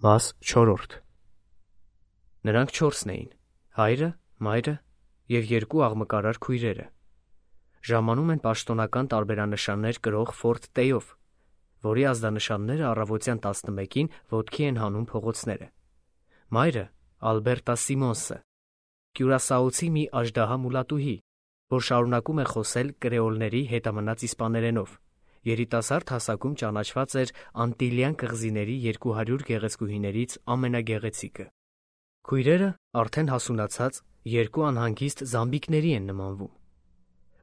Մաս 4 Նրանք 4-ն էին. հայրը, մայրը և 2 աղմկարար քույրերը։ Ժամանում են պաշտոնական տարբերանշաններ կրող Ֆորդ Տեյով, որի ազդանշանները առավոտյան 11-ին ոտքի են հանում փողոցները։ Մայրը Ալբերտա Սիմոնսը, Կյուրասաոցի մի աժդահա մուլատուհի, որ շարունակում է խոսել կրեոլների հետամնաց իսպաներենով։ Երիտասարդ հասակում ճանաչված էր Անտիլյան կղզիների 200 գեղեցկուհիներից ամենագեղեցիկը։ Քույրերը արդեն հասունացած 2 անհանգիստ զամբիկների են նմանվում։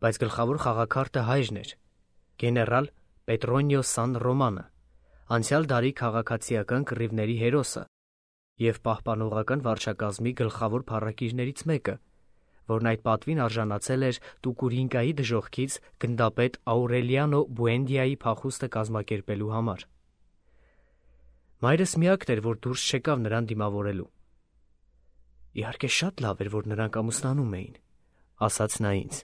Բայց գլխավոր խաղաքարտը հայրն էր, գեներալ Պետրոնիո Սան Ռոմանը, անցյալ դարի քաղաքացիական կռիվների հերոսը և պահպանողական վարչակազմի գլխավոր փառակիրներից մեկը, որն այդ պատվին արժանացել էր Տուկուրինկայի դժոխքից գնդապետ Աուրելիանո Բուենդիայի փախուստը կազմակերպելու համար։ Մայրս միակն էր, որ դուրս չեկավ նրան դիմավորելու։ «Իհարկե շատ լավ էր, որ նրանք ամուսնանում էին», ասաց նա ինձ,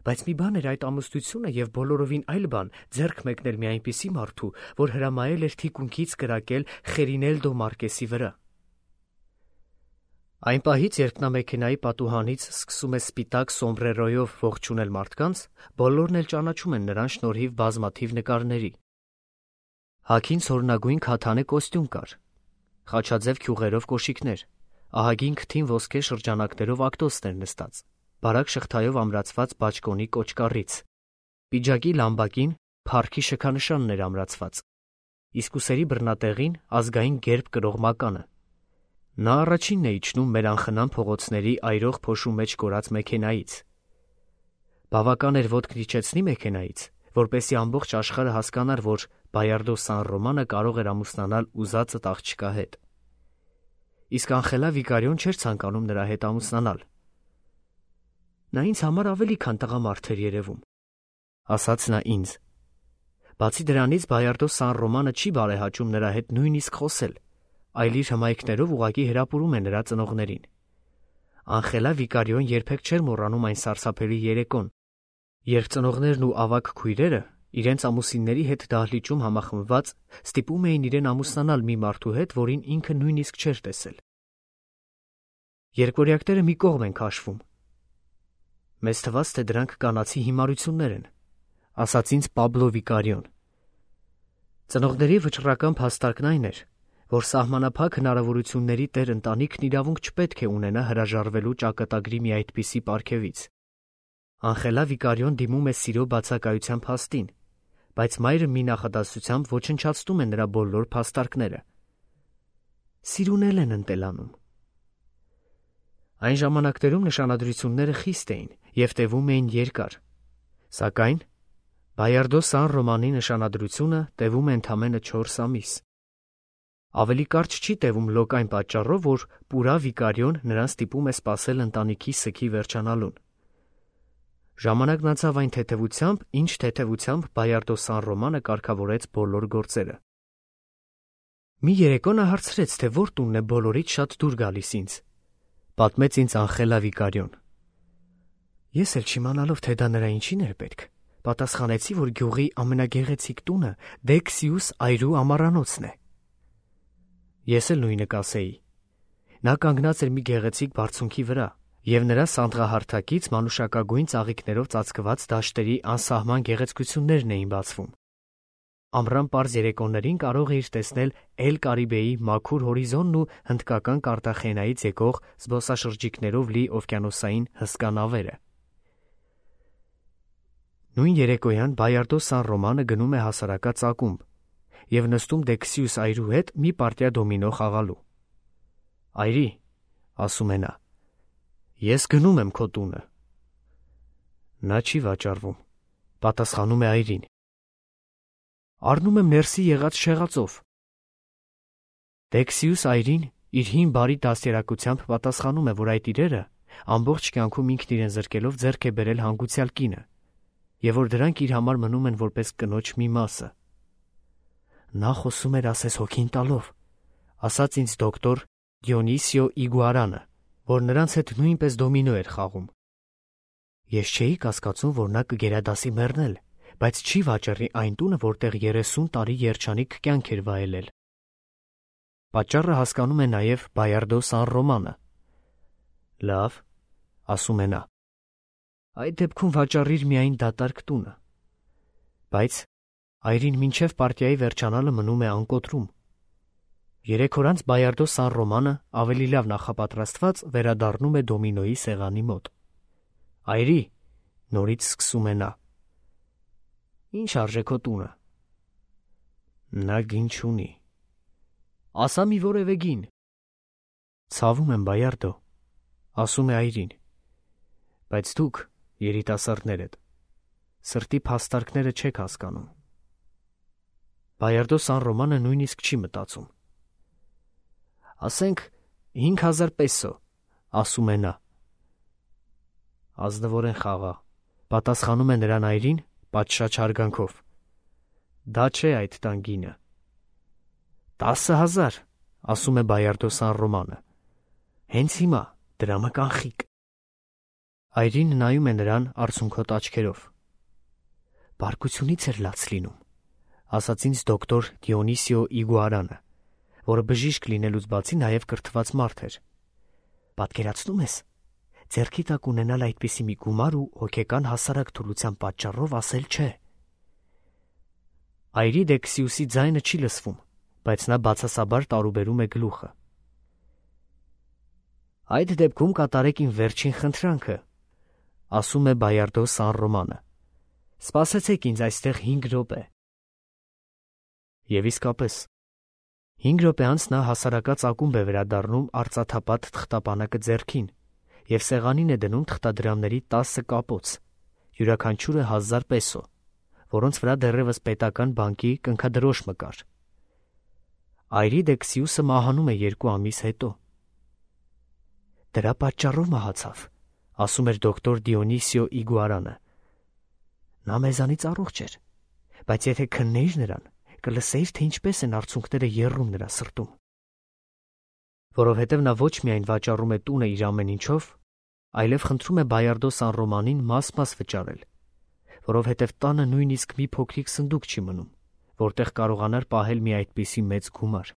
«բայց մի բան էր այդ ամուսնությունը և բոլորովին այլ բան ձեռք մեկնել մի այնպիսի մարդու, որ հրամայել էր թիկունքից կրակել Խերինելդո Մարկեսի վրա»։ Այն պահից, երբ նա մեքենայի պատուհանից սկսում է սպիտակ սոմբրերոյով ողջունել մարդկանց, բոլորն էլ ճանաչում են նրան շնորհիվ բազմաթիվ նկարների։ Հագին ցորնագույն քաթանե կոստյում կար, խաչաձև քյուղերով կոշիկներ, ահագին քթին ոսկե շրջանակներով ակտոսներ նստած, բարակ շղթայով ամրացված բաճկոնի կոճկառից, պիջակի լամբակին փառքի շքանշանն էր ամրացված, իսկ ուսերի բռնատեղին ազգային գերբ կրող մականը։ Նա առաջինն է իջնում մեր անխնամ փողոցների այրող փոշու մեջ կորած մեքենայից։ Բավական էր ոտքն իջեցնի մեքենայից, որպեսզի ամբողջ աշխարհը հասկանար, որ Բայարդո Սան Ռոմանը կարող էր ամուսնանալ ուզածդ աղջկա հետ։ Իսկ Անխելա Վիկարիոն չէր ցանկանում նրա հետ ամուսնանալ։ «Նա ինձ համար ավելի քան տղամարդ էր երևում», ասաց նա ինձ։ Բացի դրանից Բայարդո Սան Ռոմանը չի բարեհաճում նրա հետ նույնիսկ խոսել, այլ իր հմայքներով ուղղակի հրապուրում է նրա ծնողներին։ Անխելա Վիկարիոն երբեք չէր մոռանում այն սարսափելի երեկոն, երբ ծնողներն ու ավագ քույրերը իրենց ամուսինների հետ դահլիճում համախմբված ստիպում էին իրեն ամուսնանալ մի մարդու հետ, որին ինքը նույնիսկ չէր տեսել։ Երկորյակները մի կողմ են քաշվում։ Մեզ թվաց, թե դրանք կանացի հիմարություններ են, ասաց ինձ Պաբլո Վիկարիոն։ Ծնողների վճռական փաստարկն այն էր, որ սահմանափակ հնարավորությունների տեր ընտանիքն իրավունք չպետք է ունենա հրաժարվելու ճակատագրի մի այդպիսի պարգևից։ Անխելա Վիկարիոն դիմում է սիրո բացակայության փաստին, բայց մայրը մի նախադասությամբ ոչնչացնում է նրա բոլոր փաստարկները։ Սիրունել են ընտելանում։ Այն ժամանակներում նշանադրությունները խիստ էին և տևում էին երկար, սակայն Բայարդո Սան Ռոմանի նշանադրությունը տևում է ընդամենը 4 ամիս։ Ավելի կարճ չի տևում լոկ այն պատճառով, որ Պուրա Վիկարիոն նրան ստիպում է սպասել ընտանիքի սգի վերջանալուն։ Ժամանակն անցավ այն թեթևությամբ, ինչ թեթևությամբ Բայարդո Սան Ռոմանը կարգավորեց բոլոր գործերը։ Մի երեկո նա հարցրեց, թե որ տունն է բոլորից շատ դուր գալիս ինձ, պատմեց ինձ Անխելա Վիկարիոն։ Ես էլ չիմանալով, թե դա նրա ինչին էր պետք, պատասխանեցի, որ գյուղի ամենագեղեցիկ տունը Դեքսիուս այրու ամառանոցն է։ Ես էլ նույնը կասեի։ Նա կանգնած էր մի գեղեցիկ բարձունքի վրա, և նրա սանդղահարթակից մանուշակագույն ծաղիկներով ծածկված դաշտերի անսահման գեղեցկություններն էին բացվում։ Ամռան պարզ երեկոներին կարող էիր տեսնել Էլ Կարիբեի մաքուր հորիզոնն ու հնդկական Կարտախենայից եկող զբոսաշրջիկներով լի օվկիանոսային հսկա նավերը։ Նույն երեկոյան Բայարդո Սան Ռոմանը գնում է հասարակած ակումբ և նստում Դեքսիուս այրու հետ մի պարտիա դոմինո խաղալու։ Այրի, ասում է նա, ես գնում եմ քո տունը։ Նա չի վաճառվում, պատասխանում է այրին։ Առնում եմ ներսի եղած շեղածով։ Դեքսիուս այրին իր հին բարի դաստիարակությամբ պատասխանում է, որ այդ իրերը ամբողջ կյանքում ինքն իրեն զրկելով ձեռք է բերել հանգուցյալ կինը, և որ դրանք իր համար մնում են որպես կնոջ մի մասը։ Նա խոսում էր ասես հոգին տալով, ասաց ինձ դոկտոր Դիոնիսիո Իգուարանը, որ նրանց հետ նույնպես դոմինո էր խաղում։ Ես չէի կասկածում, որ նա կգերադասի մեռնել, բայց չի վաճառի այն տունը, որտեղ 30 տարի երջանիկ կյանք էր վայելել։ Պատճառը հասկանում է նաև Բայարդո Սան Ռոմանը։ Լավ, ասում է նա։ Այդ դեպքում վաճառիր միայն դատարկ տունը։ Բայց այրին մինչև պարտիայի վերջանալը մնում է անկոտրում։ 3 օր անց Բայարդո Սան Ռոմանը ավելի լավ նախապատրաստված վերադառնում է դոմինոյի սեղանի մոտ։ Այրի, նորից սկսում է նա։ Ինչ արժե քո տունը։ Նա գին չունի։ Ասա մի որևէ գին։ Ցավում եմ, Բայարդո, ասում է այրին։ Բայց դուք, երիտասարդներդ, սրտի փաստարկները չեք հասկանում։ Բայարդո Սան Ռոմանը նույնիսկ չի մտածում։ Ասենք 5000 պեսո, ասում է նա։ Ազնվորեն խաղա, պատասխանում է նրան այրին պատշաճ հարգանքով։ Դա չէ այդ տան գինը։ 10,000, ասում է Բայարդո Սան Ռոմանը։ Հենց հիմա դրամը կանխիկ։ Այրին նայում է նրան արցունքոտ աչքերով։ Բարկությունից էր լաց լինում, ասաց ինձ դոկտոր Դիոնիսիո Իգուարանը, որը բժիշկ լինելուց բացի նաև կրթված մարդ էր։ Պատկերացնում ես, ձեռքի տակ ունենալ այդպիսի մի գումար ու հոգեկան հասարակ թուլության պատճառով ասել չէ։ Այրի Դեքսիուսի ձայնը չի լսվում, բայց նա բացասաբար տարուբերում է գլուխը։ Այդ դեպքում կատարեք իմ վերջին խնդրանքը, ասում է Բայարդո Սան Ռոմանը։ Սպասեցեք ինձ այստեղ 5 րոպե։ Եվ իսկապես 5 րոպե անց նա հասարակած ակումբ է վերադառնում արծաթապատ թղթապանակը ձեռքին և սեղանին է դնում թղթադրամների 10 կապոց, յուրաքանչյուրը 1000 պեսո, որոնց վրա դեռևս պետական բանկի կնքադրոշմը կար։ Այրի Դեքսիուսը մահանում է 2 ամիս հետո։ Դրա պատճառով մահացավ, ասում էր դոկտոր Դիոնիսիո Իգուարանը։ Նա մեզանից առողջ էր, բայց եթե քննեիր նրան, կլսեիր, թե ինչպես են արցունքները եռում նրա սրտում։ Որովհետև նա ոչ միայն վաճառում է տունը իր ամեն ինչով, այլև խնդրում է Բայարդո Սան Ռոմանին մաս-մաս վճարել, որովհետև տանը նույնիսկ մի փոքրիկ սնդուկ չի մնում, որտեղ կարողանար պահել մի այդպիսի մեծ գումար։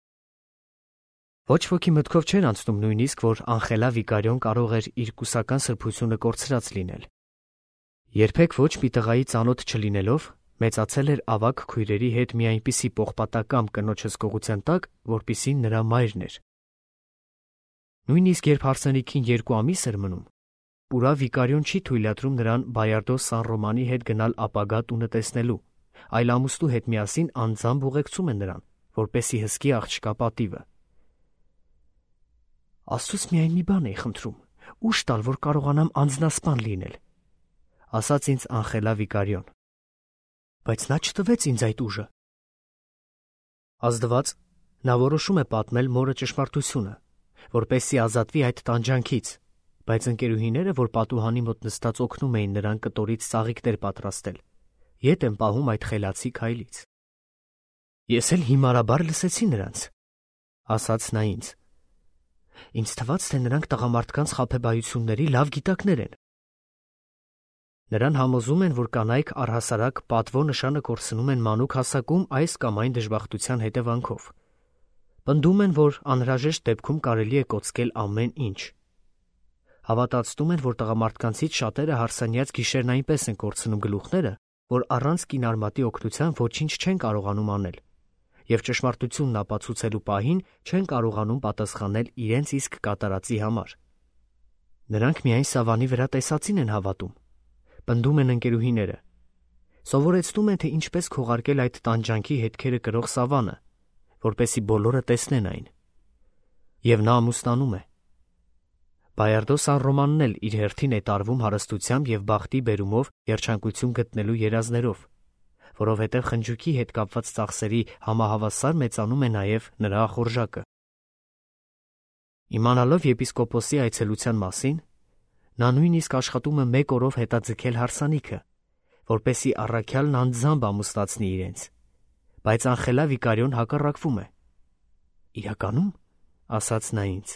Ոչ ոքի մտքով չէր անցնում նույնիսկ, որ Անխելա Վիկարիոն կարող էր իր կուսական սրբությունը կորցրած լինել։ Երբեք ոչ մի տղայի ծանոթ չլինելով, մեծացել էր ավագ քույրերի հետ մի այնպիսի պողպատակամ կնոջ հսկողության տակ, որպիսին նրա մայրն էր։ Նույնիսկ երբ հարսանիքին 2 ամիս էր մնում, Պուրա Վիկարիոն չի թույլատրում նրան Բայարդո Սան Ռոմանի հետ գնալ ապագա տունը տեսնելու, այլ ամուսնու հետ միասին անձամբ ուղեկցում է նրան, որպեսզի հսկի աղջկա պատիվը։ Աստծուց միայն մի բան էի խնդրում, ուժ տալ, որ կարողանամ անձնասպան լինել, ասաց ինձ Անխելա Վիկարիոն։ Բայց նա չտվեց ինձ այդ ուժը։ Ազդված նա որոշում է պատմել մորը ճշմարտությունը, որպեսզի ազատվի այդ տանջանքից, բայց ընկերուհիները, որ պատուհանի մոտ նստած օգնում էին նրան կտորից ծաղիկներ պատրաստել, ետ են պահում այդ խելացի քայլից։ Ես էլ հիմարաբար լսեցի նրանց, ասաց նա ինձ։ Ինձ թվաց, թե նրանք տղամարդկանց խաբեբայությունների լավ գիտակներ են։ Նրան համոզում են, որ կանայք առհասարակ պատվո նշանը կորցնում են մանուկ հասակում այս կամ այն դժբախտության հետևանքով։ Պնդում են, որ անհրաժեշտ դեպքում կարելի է կոծկել ամեն ինչ։ Հավատացնում են, որ տղամարդկանցից շատերը հարսանյաց գիշերն այնպես են կորցնում գլուխները, որ առանց կինարմատի օգնության ոչինչ չեն կարողանում անել, և ճշմարտությունն ապացուցելու պահին չեն կարողանում պատասխանել իրենց իսկ կատարածի համար։ Նրանք միայն սավանի վրա տեսածին են հավատում, պնդում են ընկերուհիները, սովորեցնում են, թե ինչպես քողարկել այդ տանջանքի հետքերը կրող սավանը, որպեսզի բոլորը տեսնեն այն։ Եվ նա ամուսնանում է։ Բայարդո Սան Ռոմանն էլ իր հերթին է տարվում հարստությամբ և բախտի բերումով երջանկություն գտնելու երազներով, որովհետև խնջույքի հետ կապված ծախսերի համահավասար մեծանում է նաև նրա ախորժակը։ Իմանալով եպիսկոպոսի այցելության մասին, նա նույնիսկ աշխատում է 1 օրով հետաձգել հարսանիքը, որպեսզի առաքյալն անձամբ ամուսնացնի իրենց, բայց Անխելա Վիկարիոն հակառակվում է։ Իրականում, ասաց նա ինձ,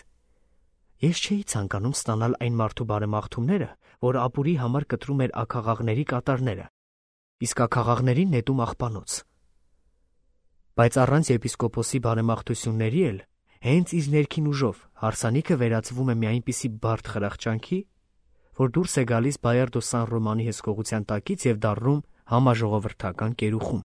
ես չէի ցանկանում ստանալ այն մարդու բարեմաղթումները, որ ապուրի համար կտրում էր աքաղաղների կատարները, իսկ աքաղաղներին նետում աղբանոց։ Բայց առանց եպիսկոպոսի բարեմաղթությունների էլ հենց իր ներքին ուժով հարսանիքը վերածվում է մի այնպիսի բարդ խրախճանքի, որ դուրս է գալիս Բայարդո Սան Ռոմանի հսկողության տակից և դառնում համաժողովրդական կերուխում։